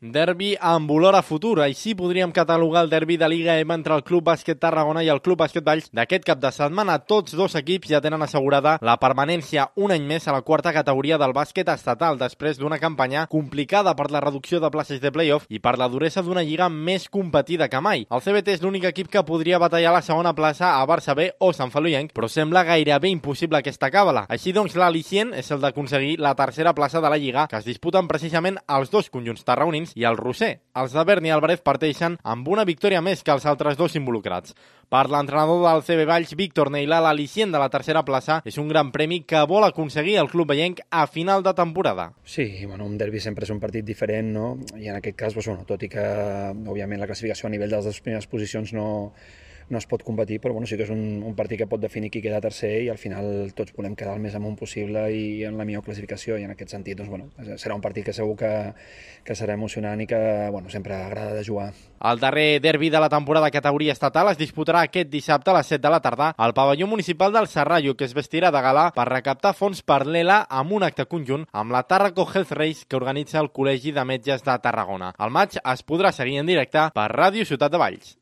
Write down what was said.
Derbi amb olor a futur, així podríem catalogar el derbi de Liga EVA entre el Club Bàsquet Tarragona i el Club Bàsquet Valls d'aquest cap de setmana. Tots dos equips ja tenen assegurada la permanència un any més a la quarta categoria del bàsquet estatal després d'una campanya complicada per la reducció de places de playoff i per la duresa d'una lliga més competida que mai. El CBT és l'únic equip que podria batallar la segona plaça a Barça B o Sant Feliuenc, però sembla gairebé impossible aquesta càbala. Així doncs, l'al·licient és el d'aconseguir la tercera plaça de la lliga, que es disputen precisament els dos conjunts tarragonins i el Roser. Els de Berni i Álvarez parteixen amb una victòria més que els altres dos involucrats. Per l'entrenador del CB Valls, Víctor Neilà, l'al·licient de la tercera plaça és un gran premi que vol aconseguir el club vellenc a final de temporada. Sí, un derbi sempre és un partit diferent, no? I en aquest cas, tot i que òbviament la classificació a nivell de les primeres posicions no es pot competir, però sí que és un partit que pot definir qui queda tercer i al final tots volem quedar el més amunt possible i en la millor classificació, i en aquest sentit serà un partit que segur que serà emocionant i que sempre agrada de jugar. El darrer derbi de la temporada categoria estatal es disputarà aquest dissabte a les 7 de la tarda al pavelló municipal del Serrallo, que es vestirà de gala per recaptar fons per l'ELA amb un acte conjunt amb la Tàrraco Health Race que organitza el Col·legi de Metges de Tarragona. El maig es podrà seguir en directe per Ràdio Ciutat de Valls.